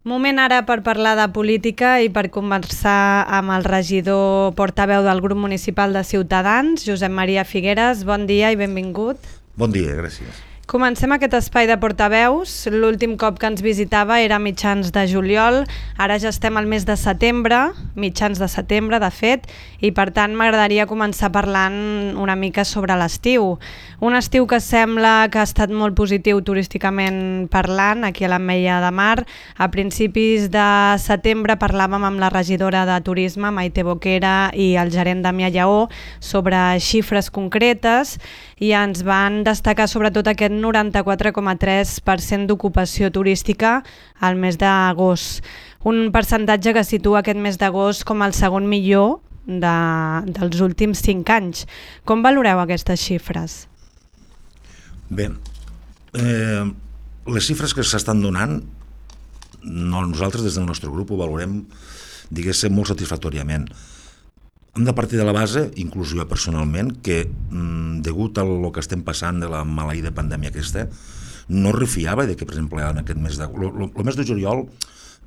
Moment ara per parlar de política i per conversar amb el regidor portaveu del grup municipal de Ciutadans, Josep Maria Figueres. Bon dia i benvingut. Bon dia, gràcies. Comencem aquest espai de portaveus. L'últim cop que ens visitava era a mitjans de juliol, ara ja estem al mes de setembre, mitjans de setembre de fet, i per tant m'agradaria començar parlant una mica sobre l'estiu. Un estiu que sembla que ha estat molt positiu turísticament parlant aquí a l'Ametlla de Mar. A principis de setembre parlàvem amb la regidora de Turisme, Maite Boquera, i el gerent Damià Lleó sobre xifres concretes i ens van destacar sobretot aquest 94,3% d'ocupació turística al mes d'agost. Un percentatge que situa aquest mes d'agost com el segon millor dels últims 5 anys. Com valoreu aquestes xifres? Bé, les xifres que s'estan donant, nosaltres des del nostre grup ho valorem, diguéssim, molt satisfactòriament. Hem de partir de la base, inclús jo personalment, que degut a el que estem passant de la maleïda pandèmia aquesta, no refiava de que, per exemple, en aquest mes d'agost, el mes de juliol,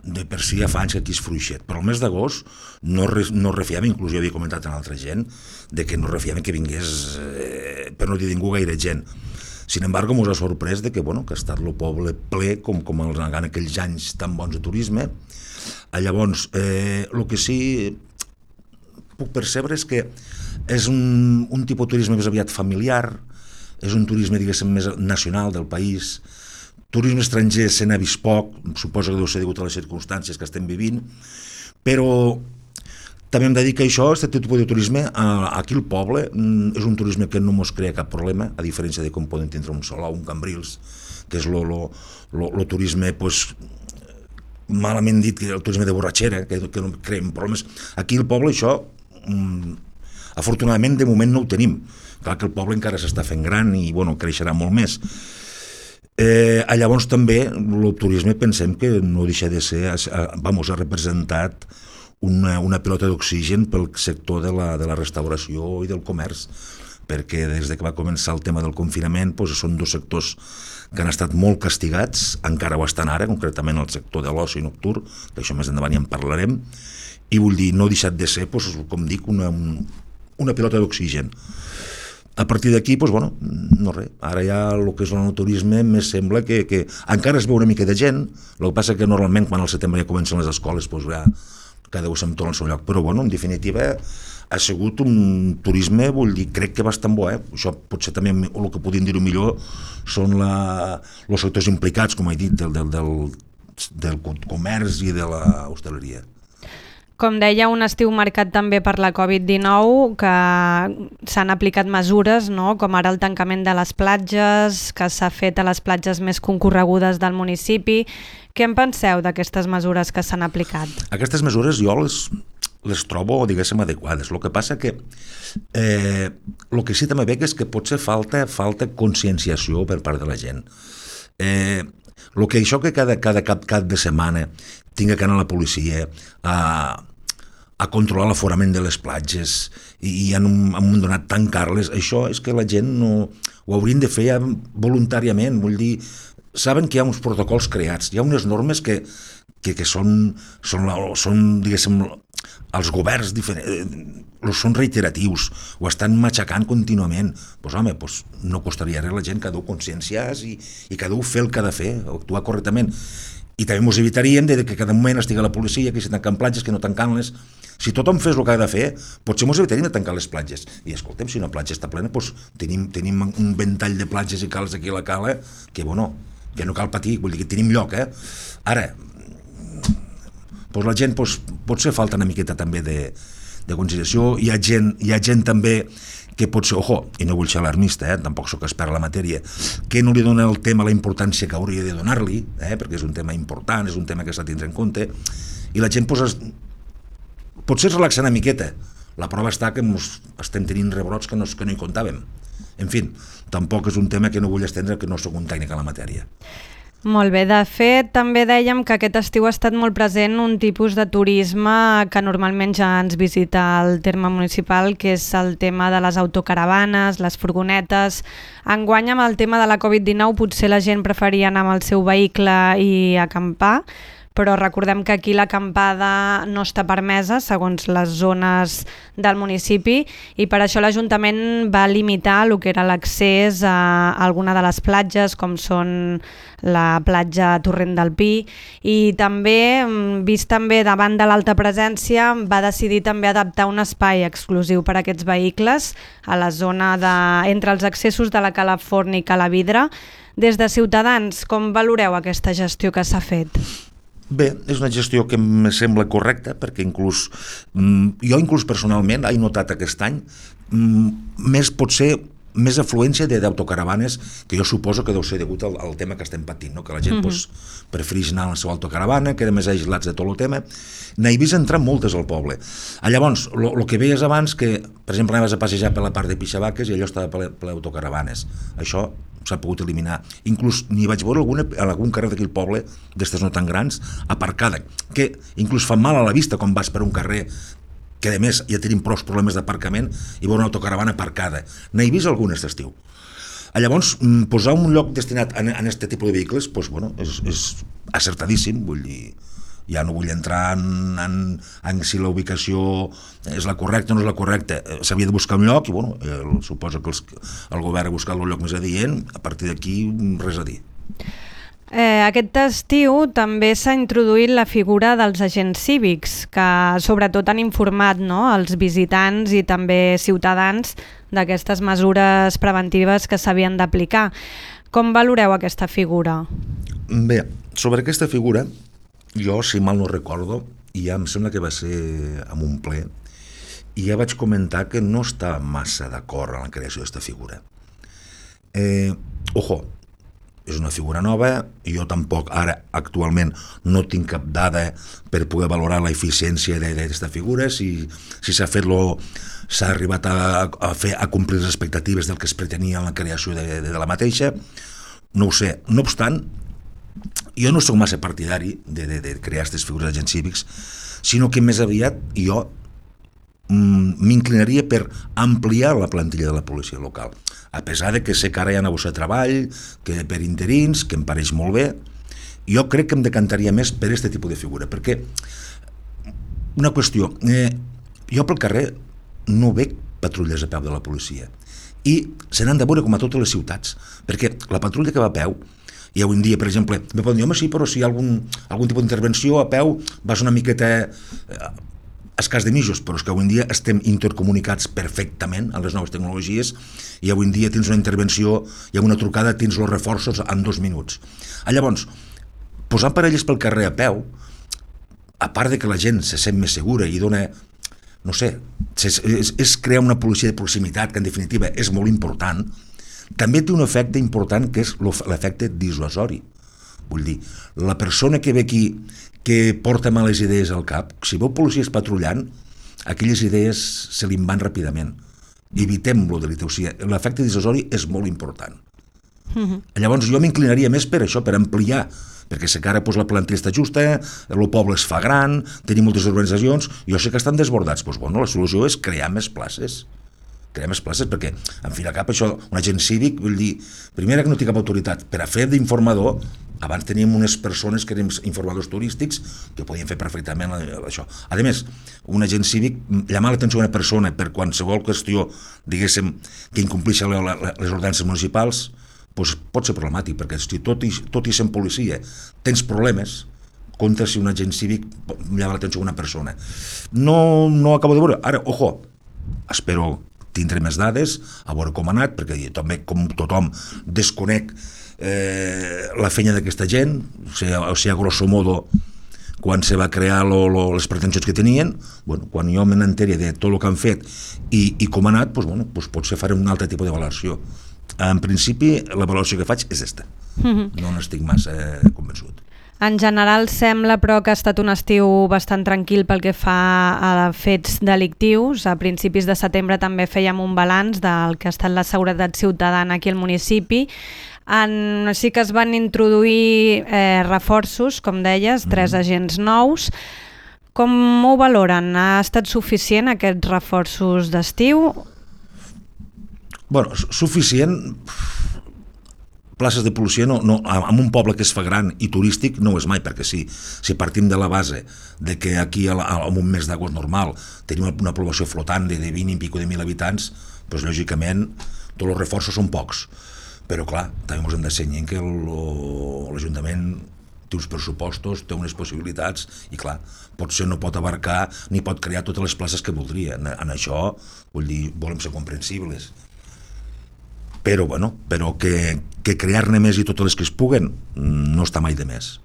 de per si ja fa anys que aquí és fluixet, però el mes d'agost no refiava, inclús jo havia comentat amb altra gent, de que no refiava que vingués, per no dir ningú, gaire gent. Sin embargo, ens ha sorprès de que, que ha estat el poble ple, com en aquells anys tan bons de turisme. Llavors, el que sí puc percebre és que és un tipus de turisme més aviat familiar, és un turisme, diguéssim, més nacional del país. Turisme estranger se n'ha vist poc, suposo que deu ser degut a les circumstàncies que estem vivint, però també hem de dir que això, aquest tipus de turisme, aquí al poble, és un turisme que no ens crea cap problema, a diferència de com poden tindre un Salou, un Cambrils, que és el turisme, malament dit, el turisme de borratxera, que no creem problemes. Aquí al poble això, afortunadament, de moment no ho tenim. Clar que el poble encara s'està fent gran i creixerà molt més. Llavors també el turisme pensem que no deixa de ser, ha representat una pilota d'oxigen pel sector de la restauració i del comerç, perquè des que va començar el tema del confinament són dos sectors que han estat molt castigats, encara ho estan ara, concretament el sector de l'oci nocturn, que això més endavant ja en parlarem, i vull dir, no ha deixat de ser, com dic, una pilota d'oxigen. A partir d'aquí, no res, ara ja el que és l'enoturisme més sembla que encara es veu una mica de gent, el que passa que normalment quan al setembre ja comencen les escoles, ja cada un se'n torna al seu lloc, però en definitiva ha sigut un turisme, crec que bastant bo. Això potser també el que podríem dir-ho millor són els sectors implicats, com he dit, del comerç i de l'hostaleria. Com deia, un estiu marcat també per la Covid-19, que s'han aplicat mesures, com ara el tancament de les platges, que s'ha fet a les platges més concorregudes del municipi. Què en penseu d'aquestes mesures que s'han aplicat? Aquestes mesures jo les trobo, diguéssim, adequades. El que passa que el que sí també veig és que potser falta conscienciació per part de la gent. Això que cada cap de setmana tinga que anar a la policia a controlar l'aforament de les platges i han donat tancar-les, això és que la gent no ho haurien de fer ja voluntàriament. Vull dir, saben que hi ha uns protocols creats, hi ha unes normes que són diguéssim, els governs són reiteratius, ho estan matxacant contínuament. No costaria res la gent que ha de conscienciar i que ha de fer el que ha de fer, actuar correctament. I també ens evitaríem que cada moment estigui la policia, que si tanquen platges, que no tanquen-les. Si tothom fes el que ha de fer, potser ens evitaríem de tancar les platges. I escolta'm, si una platja està plena, tenim un ventall de platges i cales aquí a la cala que no cal patir, vull dir que tenim lloc. Ara, la gent potser falta una miqueta també de consideració. Hi ha gent també que potser, i no vull ser alarmista, tampoc sóc expert en la matèria, que no li dona el tema la importància que hauria de donar-li, perquè és un tema important, és un tema que s'ha de tindre en compte, i la gent potser es relaxa una miqueta. La prova està que estem tenint rebrots que no hi comptàvem. En fi, tampoc és un tema que no vull estendre, que no sóc un tècnic en la matèria. Molt bé, de fet també dèiem que aquest estiu ha estat molt present un tipus de turisme que normalment ja ens visita al terme municipal, que és el tema de les autocaravanes, les furgonetes. Enguany amb el tema de la Covid-19 potser la gent preferia anar amb el seu vehicle i acampar, però recordem que aquí l'acampada no està permesa segons les zones del municipi i per això l'Ajuntament va limitar el que era l'accés a alguna de les platges com són la platja Torrent del Pi i també, vist també davant de l'alta presència, va decidir també adaptar un espai exclusiu per a aquests vehicles a la zona entre els accessos de la Cala Forn i Cala Vidre. Des de Ciutadans, com valoreu aquesta gestió que s'ha fet? Bé, és una gestió que em sembla correcta perquè jo inclús personalment he notat aquest any més afluència d'autocaravanes que jo suposo que deu ser degut al tema que estem patint, no? Que la gent prefereix anar a la seva autocaravana, queda més aïllats de tot el tema. N'he vist entrar moltes al poble. Llavors, el que veies abans, que per exemple anaves a passejar per la part de Pixabaques i allò estava ple d'autocaravanes. Això s'ha pogut eliminar. Inclús n'hi vaig veure algun carrer d'aquí al poble, d'estes no tan grans, aparcada, que inclús fa mal a la vista quan vas per un carrer que a més ja tenim prou problemes d'aparcament i veure una autocaravana aparcada. N'he vist algunes d'estiu. Llavors, posar un lloc destinat a aquest tipus de vehicles és acertadíssim, vull dir, ja no vull entrar en si la ubicació és la correcta o no és la correcta. S'havia de buscar un lloc i suposo que el govern ha buscat el lloc més adient, a partir d'aquí res a dir. Aquest estiu també s'ha introduït la figura dels agents cívics que sobretot han informat els visitants i també ciutadans d'aquestes mesures preventives que s'havien d'aplicar. Com valoreu aquesta figura? Bé, sobre aquesta figura jo, si mal no recordo, ja em sembla que va ser en un ple i ja vaig comentar que no estava massa d'acord en la creació d'aquesta figura. És una figura nova, jo tampoc ara actualment no tinc cap dada per poder valorar l'eficiència d'aquesta figura, si s'ha arribat a complir les expectatives del que es pretenia en la creació de la mateixa, no ho sé. No obstant, jo no soc massa partidari de crear aquestes figures d'agents cívics, sinó que més aviat jo m'inclinaria per ampliar la plantilla de la policia local, a pesar de que sé que ara hi ha una bossa de treball, que per interins, que em pareix molt bé. Jo crec que em decantaria més per aquest tipus de figura, perquè una qüestió, jo pel carrer no veig patrulles a peu de la policia i se n'han de veure com a totes les ciutats, perquè la patrulla que va a peu, i avui en dia, per exemple, me poden dir, home, sí, però si hi ha algun tipus d'intervenció a peu vas una miqueta escàs de mitjos, però és que avui en dia estem intercomunicats perfectament amb les noves tecnologies i avui en dia tens una intervenció i amb una trucada tens els reforços en 2 minuts. Llavors, posant parelles pel carrer a peu, a part de que la gent se sent més segura i dona, no sé, és crear una policia de proximitat que en definitiva és molt important, també té un efecte important que és l'efecte dissuasori. Vull dir, la persona que ve aquí que porta males idees al cap, si veu policies patrullant, aquelles idees se li van ràpidament. Evitem-lo de l'idea, o sigui, l'efecte dissuasori és molt important. Llavors jo m'inclinaria més per això, per ampliar, perquè sé que ara la plantilla està justa, el poble es fa gran, tenim moltes organitzacions, jo sé que estan desbordats, doncs la solució és crear més places, perquè, en fi de cap, això, un agent cívic, vull dir, primera que no té cap autoritat, per a fer d'informador, abans teníem unes persones que eren informadors turístics que podien fer perfectament això. A més, un agent cívic, llamar l'atenció a una persona per qualsevol qüestió, diguéssim, que incompleixi les ordenances municipals, doncs pot ser problemàtic, perquè si tot i sent policia tens problemes, contra si un agent cívic llama l'atenció a una persona. No acabo de veure. Ara, espero tindré més dades, a veure com ha anat, perquè també, com tothom, desconec la feina d'aquesta gent, o sigui, a grosso modo, quan se va crear les pretensions que tenien, quan jo me n'enteri de tot el que han fet i com ha anat, potser faré un altre tipus de valoració. En principi, la valoració que faig és aquesta. No n'estic massa convençut. En general sembla, però, que ha estat un estiu bastant tranquil pel que fa a fets delictius. A principis de setembre també fèiem un balanç del que ha estat la seguretat ciutadana aquí al municipi. Sí que es van introduir reforços, com deies, 3 agents nous. Com ho valoren? Ha estat suficient aquests reforços d'estiu? Suficient... places de policia en un poble que es fa gran i turístic no ho és mai, perquè si partim de la base de que aquí en un mes d'agost normal tenim una població flotant de 20 i pico de 1.000 habitants, doncs lògicament tots els reforços són pocs, però clar, també ens hem de cenyir que l'Ajuntament té uns pressupostos, té unes possibilitats i clar, potser no pot abarcar ni pot crear totes les places que voldria. En això, vull dir, volem ser comprensibles. Però que crear-ne més i totes les que es puguen no està mai de més.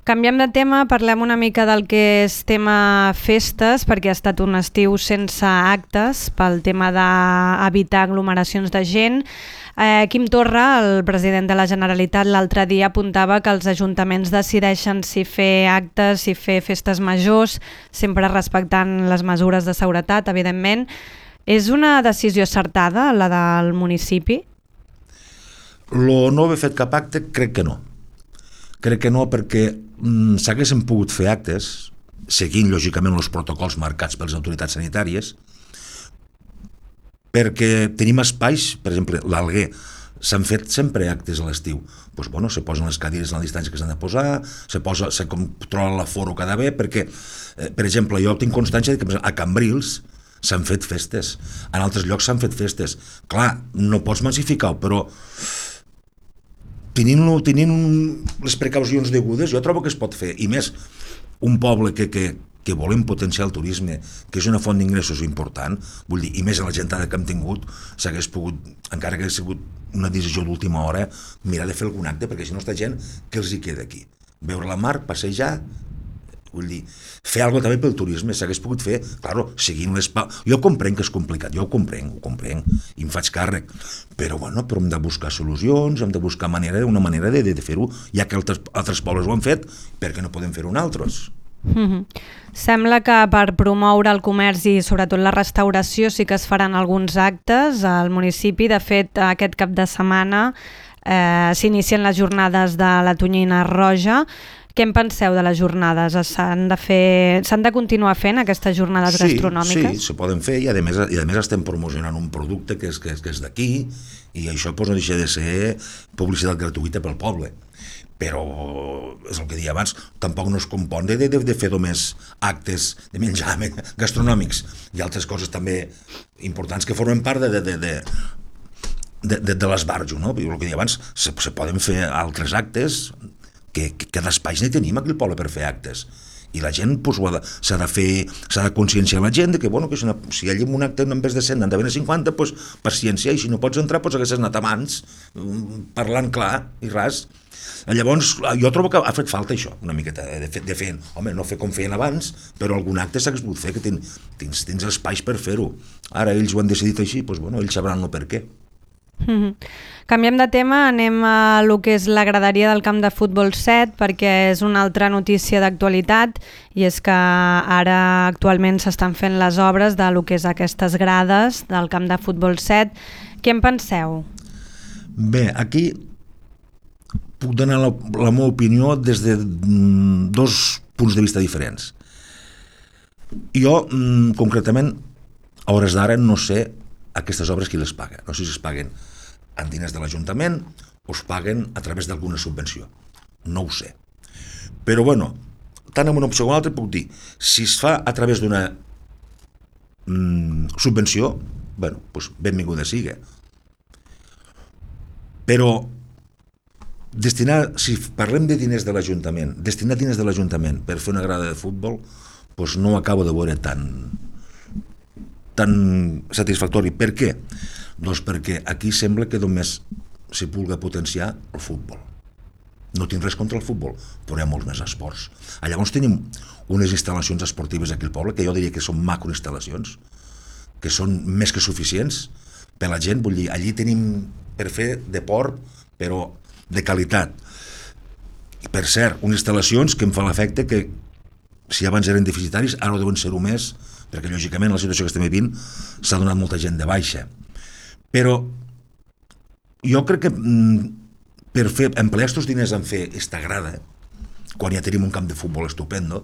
Canviem de tema, parlem una mica del que és tema festes, perquè ha estat un estiu sense actes pel tema d'evitar aglomeracions de gent. Quim Torra, el president de la Generalitat, l'altre dia apuntava que els ajuntaments decideixen si fer actes, si fer festes majors, sempre respectant les mesures de seguretat, evidentment. És una decisió acertada, la del municipi? Lo no haver fet cap acte, crec que no. Crec que no perquè s'haguessin pogut fer actes, seguint lògicament els protocols marcats per les autoritats sanitàries, perquè tenim espais, per exemple, l'Alguer, s'han fet sempre actes a l'estiu. Doncs, bueno, se posen les cadires a la distància que s'han de posar, se controla l'aforo cada bé, perquè, per exemple, jo tinc constància que a Cambrils s'han fet festes, en altres llocs s'han fet festes. Clar, no pots massificar-ho, però tenint les precaucions degudes, jo trobo que es pot fer, i més un poble que volem potenciar el turisme, que és una font d'ingressos important, vull dir, i més a la gentada que hem tingut, s'hagués pogut, encara que hagués sigut una decisió d'última hora, mirar de fer algun acte, perquè si no està gent, què els hi queda aquí? Veure la mar, passejar, vull dir, fer alguna cosa també pel turisme, s'hagués pogut fer, claro, seguint jo comprenc que és complicat, jo ho comprenc, i em faig càrrec, però hem de buscar solucions, hem de buscar una manera de fer-ho, ja que altres pobles ho han fet, per què no podem fer-ho nosaltres? Sembla que per promoure el comerç i sobretot la restauració sí que es faran alguns actes al municipi. De fet, aquest cap de setmana s'inicien les jornades de la tonyina roja. Què en penseu de les jornades? S'han de continuar fent aquestes jornades gastronòmiques? Sí, se poden fer i a més estem promocionant un producte que és d'aquí i això no deixa de ser publicitat gratuïta pel poble. Però, és el que deia abans, tampoc no es compon de fer només actes de menjar gastronòmics. Hi ha altres coses també importants que formen part de l'esbarjo, no? El que deia abans, se poden fer altres actes que d'espais ne tenim aquí al poble per fer actes. I la gent s'ha de conscienciar la gent que si allà en un acte en vez de 100 n'han d'haver 50, paciència, i si no pots entrar haguessis anat abans, parlant clar i ras. Llavors, jo trobo que ha fet falta això, una miqueta, de fer, no fer com feien abans, però algun acte s'hagués pogut fer, que tens espais per fer-ho. Ara ells ho han decidit així, ells sabran el per què. Canviem de tema, anem a lo que és la graderia del camp de futbol 7, perquè és una altra notícia d'actualitat, i és que ara actualment s'estan fent les obres de lo que és aquestes grades del camp de futbol 7. Què en penseu? Bé, aquí puc donar la meva opinió des de dos punts de vista diferents. Jo, concretament, a hores d'ara no sé aquestes obres qui les paga. No sé si es paguen en diners de l'Ajuntament o es paguen a través d'alguna subvenció. No ho sé. Però, tant en una opció com una altra puc dir, si es fa a través d'una subvenció, benvinguda sigui. Però si parlem de diners de l'Ajuntament, destinar diners de l'Ajuntament per fer una grada de futbol, no ho acabo de veure tan satisfactori. Per què? Doncs perquè aquí sembla que només s'hi pugui potenciar el futbol. No tinc res contra el futbol, però hi ha molts més esports. Llavors tenim unes instal·lacions esportives aquí al poble, que jo diria que són macroinstal·lacions, que són més que suficients per la gent. Vull dir, allí tenim per fer deport, però de qualitat. I per cert, unes instal·lacions que em fa l'efecte que si abans eren deficitaris, ara ho deuen ser-ho més, perquè lògicament la situació que estem vivint s'ha donat molta gent de baixa. Però jo crec que per emplear aquests diners en fer esta grada, quan ja tenim un camp de futbol estupendo,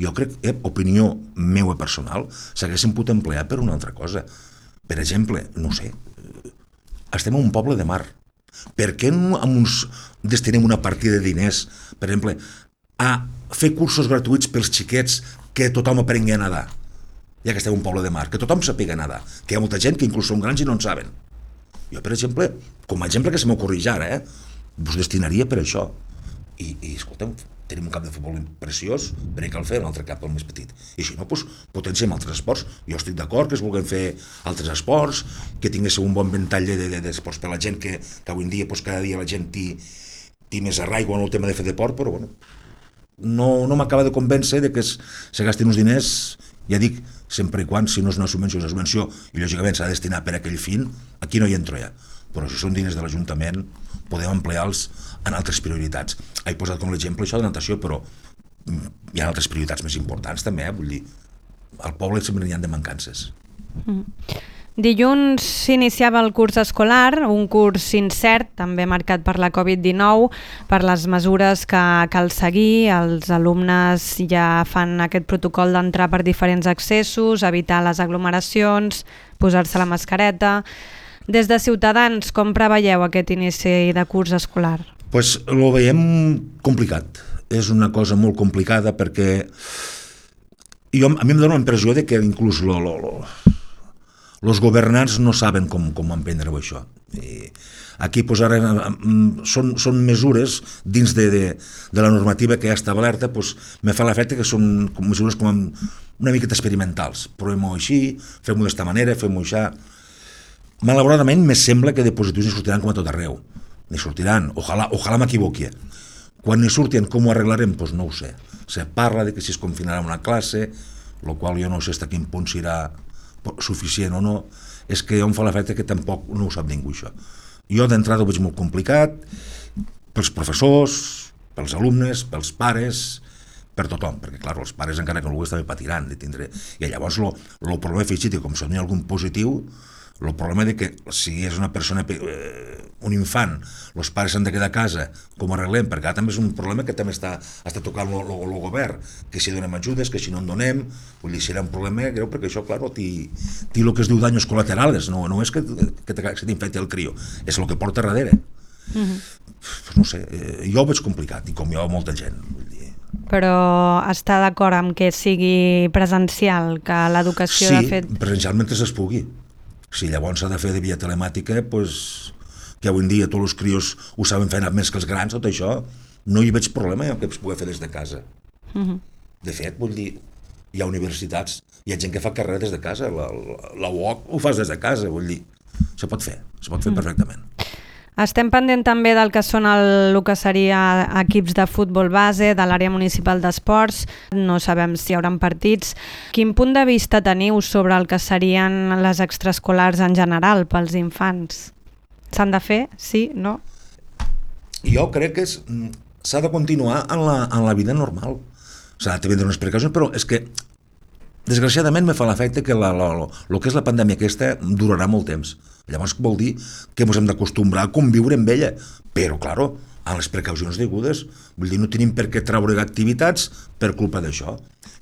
jo crec, opinió meva personal, s'haguessin pogut emplear per una altra cosa. Per exemple, no sé, estem en un poble de mar. Per què no destinem una partida de diners, per exemple, a fer cursos gratuïts pels xiquets que tothom aprengui a nedar, ja que estem un poble de mar, que tothom sàpiga nedar, que hi ha molta gent que inclús són grans i no en saben. Jo, per exemple, com a exemple que se m'ocorreix ara, us destinaria per això. I escolta'm, tenim un camp de futbol preciós, per què cal fer un altre camp el més petit? I si no, doncs, potenciem altres esports. Jo estic d'acord que es vulguin fer altres esports, que tinguéssiu un bon ventall d'esports per la gent, que avui en dia, doncs, cada dia la gent té més arraigo en el tema de fer deport, però bueno, no m'acaba de convèncer de que se gastin uns diners, ja dic, sempre i quan, si no és una subvenció, és una subvenció, i lògicament s'ha de destinar per a aquell fin, aquí no hi entro ja. Però si són diners de l'Ajuntament, podem emplear-los en altres prioritats. He posat com l'exemple això de natació, però hi ha altres prioritats més importants també, vull dir, al poble sempre n'hi ha de mancances. Dilluns s'iniciava el curs escolar, un curs incert, també marcat per la Covid-19, per les mesures que cal seguir. Els alumnes ja fan aquest protocol d'entrar per diferents accessos, evitar les aglomeracions, posar-se la mascareta. Des de Ciutadans, com preveieu aquest inici de curs escolar? Pues ho veiem complicat. És una cosa molt complicada perquè a mi em dóna la impressió de que inclús els governants no saben com emprendre-ho això. I aquí pues, ara són mesures dins de la normativa que ja està alerta, pues, me fa l'efecte que són mesures com una miqueta experimentals. Provem-ho així, fem-ho d'esta manera, fem-ho així. Malauradament, me sembla que de positius n'hi sortiran com a tot arreu. N'hi sortiran, ojalà m'equivoqui. Quan n'hi surtin, com ho arreglarem? Doncs no ho sé. Se parla de que si es confinarà una classe, el qual jo no sé fins a quin punt serà suficient o no, és que em fa l'efecte que tampoc no ho sap ningú, això. Jo d'entrada ho veig molt complicat, pels professors, pels alumnes, pels pares, per tothom, perquè clar, els pares encara que no ho vulguis també patiran de tindre. I llavors el problema afegit, com si no hi ha algun positiu, el problema de que si és una persona, un infant, els pares s'han de quedar a casa, com ho arreglem? Perquè ara també és un problema que també està tocant el govern, que si donem ajudes, que si no en donem, vull dir, serà un problema greu, perquè això, clar, té el que es diu daños colaterales, no és que t'infecti el crio, és el que porta darrere. Pues no sé, jo ho veig complicat, i com jo molta gent, vull dir. Però està d'acord amb que sigui presencial, que l'educació de fet... Sí, presencial mentre es pugui. Si llavors s'ha de fer de via telemàtica, pues, que avui en dia tots els crios ho saben fer més que els grans, tot això, no hi veig problema que es pugui fer des de casa. De fet, vull dir, hi ha universitats, hi ha gent que fa carrera des de casa, la UOC ho fas des de casa, vull dir, se pot fer perfectament. Estem pendent també del que són el que seria equips de futbol base, de l'àrea municipal d'esports. No sabem si hi haurà partits. Quin punt de vista teniu sobre el que serien les extraescolars en general pels infants? S'han de fer? Sí? No? Jo crec que s'ha de continuar en la vida normal. S'ha de prendre unes precaucions, però és que desgraciadament me fa l'efecte que el que és la pandèmia aquesta durarà molt temps. Llavors vol dir que ens hem d'acostumbrar a conviure amb ella, però, clar, amb les precaucions degudes. Vull dir, no tenim per què treure activitats per culpa d'això.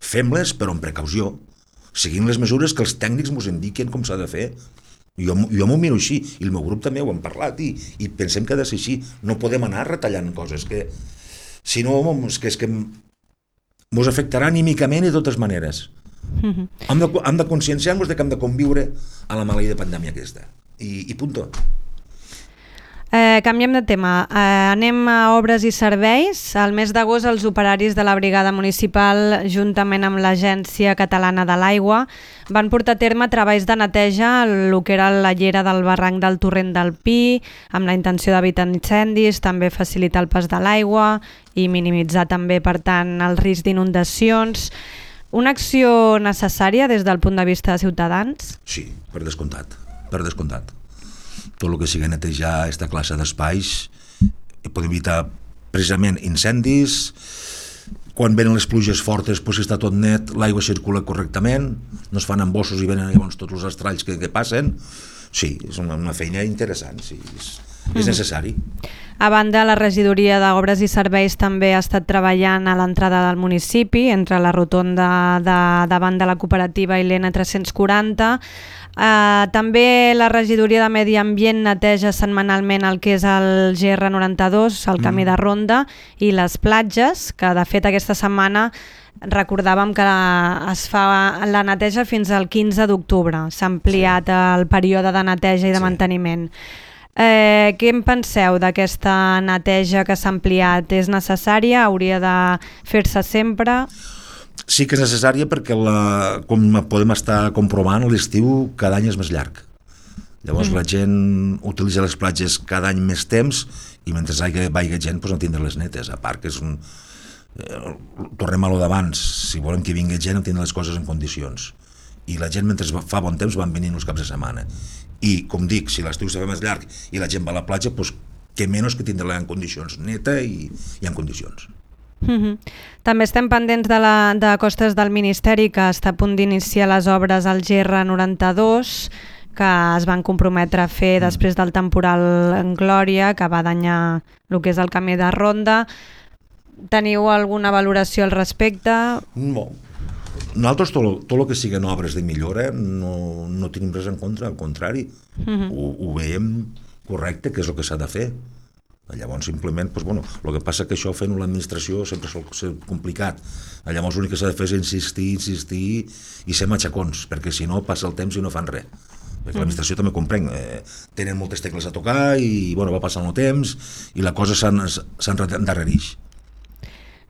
Fem-les, però amb precaució, seguint les mesures que els tècnics ens indiquen com s'ha de fer. Jo m'ho miro així, i el meu grup també ho hem parlat, i pensem que ha de ser així. No podem anar retallant coses, que si no, és que ens afectarà anímicament de totes maneres. Hem de conscienciar-nos que hem de conviure a la maleïda pandèmia aquesta. I punto. Canviem de tema. Anem a obres i serveis. Al mes d'agost els operaris de la brigada municipal, juntament amb l'Agència Catalana de l'Aigua, van portar a terme treballs de neteja el que era la llera del barranc del Torrent del Pi, amb la intenció d'evitar incendis, també facilitar el pas de l'aigua i minimitzar també, per tant, el risc d'inundacions. Una acció necessària des del punt de vista de Ciutadans? Sí, per descomptat. Tot el que sigui netejar aquesta classe d'espais pot evitar precisament incendis. Quan venen les pluges fortes, si està tot net, l'aigua circula correctament, no es fan embossos i venen llavors tots els estralls que passen. Sí, és una feina interessant, sí. És necessari. A banda, la regidoria d'Obres i Serveis també ha estat treballant a l'entrada del municipi, entre la rotonda davant de la cooperativa i l'N340. També la regidoria de Medi Ambient neteja setmanalment el que és el GR92, el camí de ronda, i les platges, que de fet aquesta setmana recordàvem que es fa la neteja fins al 15 d'octubre. S'ha ampliat el període de neteja i de manteniment. Què en penseu d'aquesta neteja que s'ha ampliat? És necessària? Hauria de fer-se sempre? Sí que és necessària perquè, com podem estar comprovant, l'estiu cada any és més llarg. Llavors la gent utilitza les platges cada any més temps i mentre vagi gent no tindrà les netes. A part que és un... tornem a lo d'abans, si volem que vingui gent tindrà les coses en condicions. I la gent mentre fa bon temps van venint els caps de setmana. I, com dic, si l'estiu se fa més llarg i la gent va a la platja, doncs que menys que tindrà en condicions neta i en condicions. També estem pendents de Costes del Ministeri, que està a punt d'iniciar les obres al GR92, que es van comprometre a fer després del temporal en Glòria, que va danyar el que és el camí de ronda. Teniu alguna valoració al respecte? No. Nosaltres tot el que siguin obres de millora no tenim res en contra, al contrari. Ho veiem correcte, que és el que s'ha de fer. Llavors simplement, el que passa que això fent l'administració sempre sol ser complicat. Llavors l'únic que s'ha de fer és insistir i ser matxacons, perquè si no passa el temps i no fan res. Perquè l'administració també comprenc, tenen moltes tecles a tocar i va passant el temps i la cosa s'endarrereix.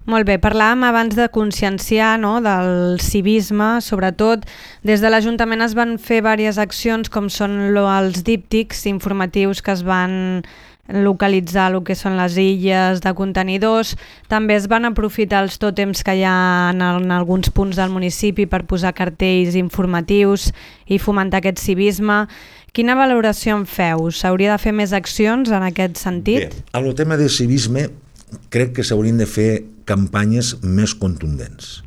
Molt bé, parlàvem abans de conscienciar, no?, del civisme, sobretot. Des de l'Ajuntament es van fer diverses accions, com són els díptics informatius que es van localitzar el que són les illes de contenidors. També es van aprofitar els tòtems que hi ha en alguns punts del municipi per posar cartells informatius i fomentar aquest civisme. Quina valoració en feu? S'hauria de fer més accions en aquest sentit? Bé, en el tema de civisme crec que s'haurien de fer campanyes més contundents,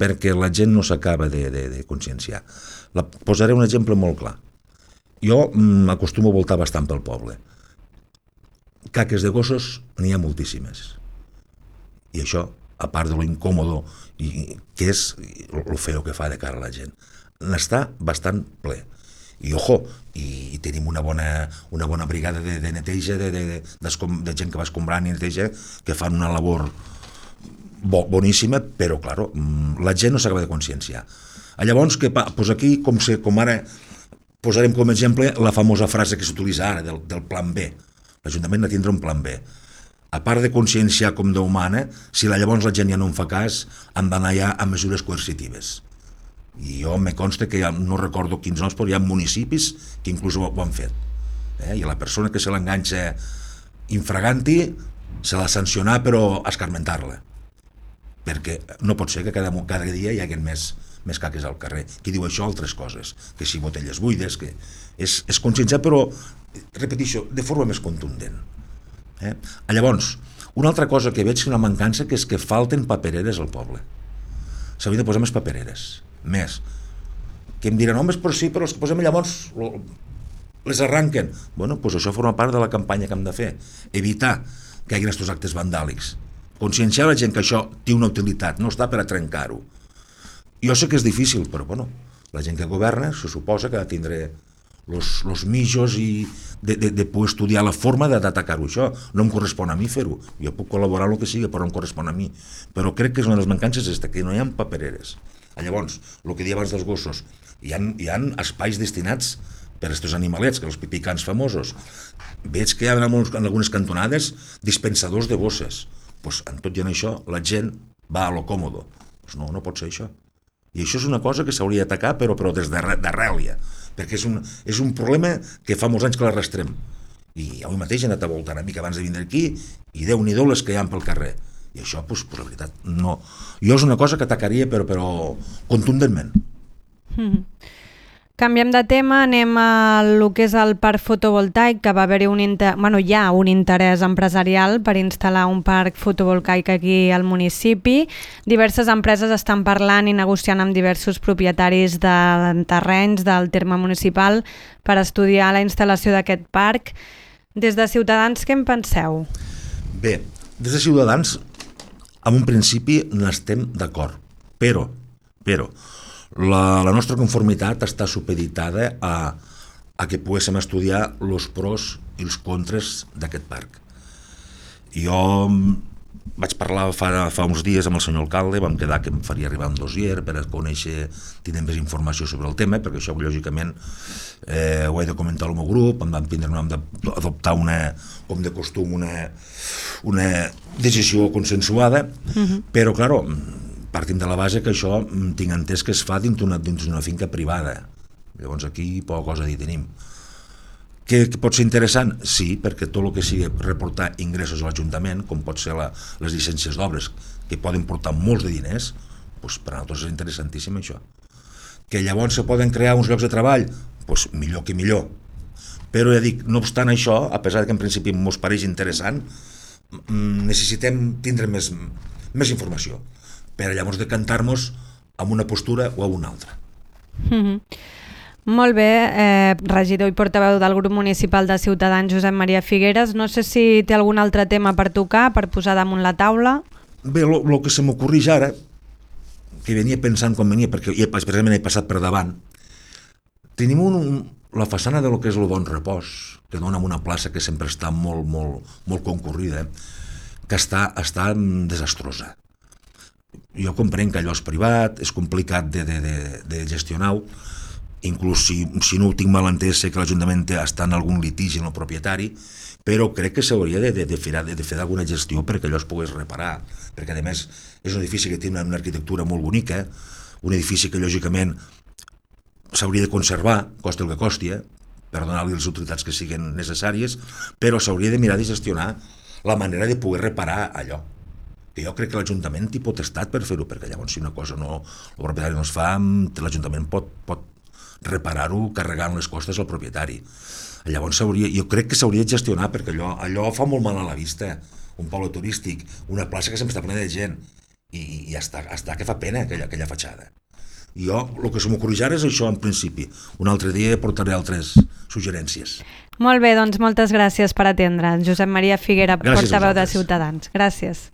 perquè la gent no s'acaba de conscienciar. Posaré un exemple molt clar. Jo m'acostumo a voltar bastant pel poble. Caques de gossos n'hi ha moltíssimes. I això, a part de lo incòmodo que és el feo que fa de cara a la gent, n'està bastant ple. I i tenim una bona brigada de neteja, de gent que va escombrant i neteja, que fan una labor boníssima, però, clar, la gent no s'acaba de conscienciar. Llavors, aquí, com ara, posarem com a exemple la famosa frase que s'utilitza ara, del plan B. L'Ajuntament ha de tindre un plan B. A part de conscienciar com Déu mana, si llavors la gent ja no en fa cas, han d'anar ja a mesures coercitives. I jo me consta que no recordo quins noms, però hi ha municipis que inclús ho han fet. I a la persona que se l'enganxa infraganti se l'ha sancionat, però escarmentar-la. Perquè no pot ser que cada dia hi hagi més caques al carrer. Qui diu això? Altres coses. Que si botelles buides, que és conscienciar, però, repeteixo, de forma més contundent. Llavors, una altra cosa que veig una mancança, que és que falten papereres al poble. S'hauria de posar més papereres. Més. Que em diran, home, però sí, però els que posem llavors les arranquen. Doncs això forma part de la campanya que hem de fer. Evitar que hi hagi aquests actes vandàlics. Conscienciar la gent que això té una utilitat, no està per a trencar-ho. Jo sé que és difícil, però la gent que governa se suposa que ha de tindre els mitjos i de poder estudiar la forma d'atacar-ho. Això no em correspon a mi fer-ho. Jo puc col·laborar el que sigui, però no em correspon a mi. Però crec que és una de les mancances que no hi ha papereres. Llavors, el que deia abans dels gossos, hi ha espais destinats per a aquests animalets, que els pipicans famosos. Veig que hi ha en algunes cantonades dispensadors de bosses. En tot i en això, la gent va a lo còmodo. No pot ser això. I això és una cosa que s'hauria d'atacar, però des d'arrel ja, perquè és un problema que fa molts anys que l'arrastrem. I avui mateix he anat a voltar una mica abans de vindre aquí i Déu-n'hi-do les que hi ha pel carrer. I això, la veritat, no. Jo és una cosa que atacaria, però contundentment. Canviem de tema, anem a lo que és el parc fotovoltaic, que va haver-hi hi ha un interès empresarial per instal·lar un parc fotovoltaic aquí al municipi. Diverses empreses estan parlant i negociant amb diversos propietaris de terrenys del terme municipal per estudiar la instal·lació d'aquest parc. Des de Ciutadans, què en penseu? Bé, des de Ciutadans, en un principi n'estem d'acord, però la nostra conformitat està supeditada a que poguéssim estudiar els pros i els contres d'aquest parc. Jo vaig parlar fa uns dies amb el senyor alcalde, vam quedar que em faria arribar un dossier per a conèixer, tenir més informació sobre el tema, perquè això lògicament ho he de comentar al meu grup, em vam d'adoptar com de costum una decisió consensuada, però clar, partim de la base que això tinc entès que es fa dins d'una finca privada, llavors aquí poca cosa a dir tenim. Que pot ser interessant? Sí, perquè tot el que sigui reportar ingressos a l'Ajuntament, com pot ser les llicències d'obres, que poden portar molts de diners, doncs per a nosaltres és interessantíssim això. Que llavors se poden crear uns llocs de treball? Doncs millor que millor. Però ja dic, no obstant això, a pesar que en principi ens pareix interessant, necessitem tindre més informació per a llavors decantar-nos amb una postura o amb una altra. Molt bé, regidor i portaveu del grup municipal de Ciutadans, Josep Maria Figueres. No sé si té algun altre tema per tocar, per posar damunt la taula. Bé, el que se m'ocorreix ara, que venia pensant quan venia, perquè precisament he passat per davant, tenim la façana de lo que és el Bon Repòs, que dona en una plaça que sempre està molt concurrida, que està desastrosa. Jo comprenc que allò és privat, és complicat de gestionar-ho, inclús si no ho tinc mal entès, sé que l'Ajuntament està en algun litigi amb el propietari, però crec que s'hauria de fer alguna gestió perquè allò es pogués reparar, perquè a més és un edifici que té una arquitectura molt bonica, un edifici que lògicament s'hauria de conservar, costi el que costi, per donar-li les utilitats que siguin necessàries, però s'hauria de mirar de gestionar la manera de poder reparar allò. Que jo crec que l'Ajuntament té potestat per fer-ho, perquè llavors si una cosa el propietari no es fa, l'Ajuntament pot reparar-ho carregant les costes al propietari. Llavors jo crec que s'hauria de gestionar, perquè allò fa molt mal a la vista, un poble turístic, una plaça que sempre està plena de gent, i està que fa pena aquella fatxada. Jo, el que se m'ocorreix ara és això en principi. Un altre dia portaré altres suggerències. Molt bé, doncs moltes gràcies per atendre. Josep Maria Figuera, portaveu de Ciutadans. Gràcies.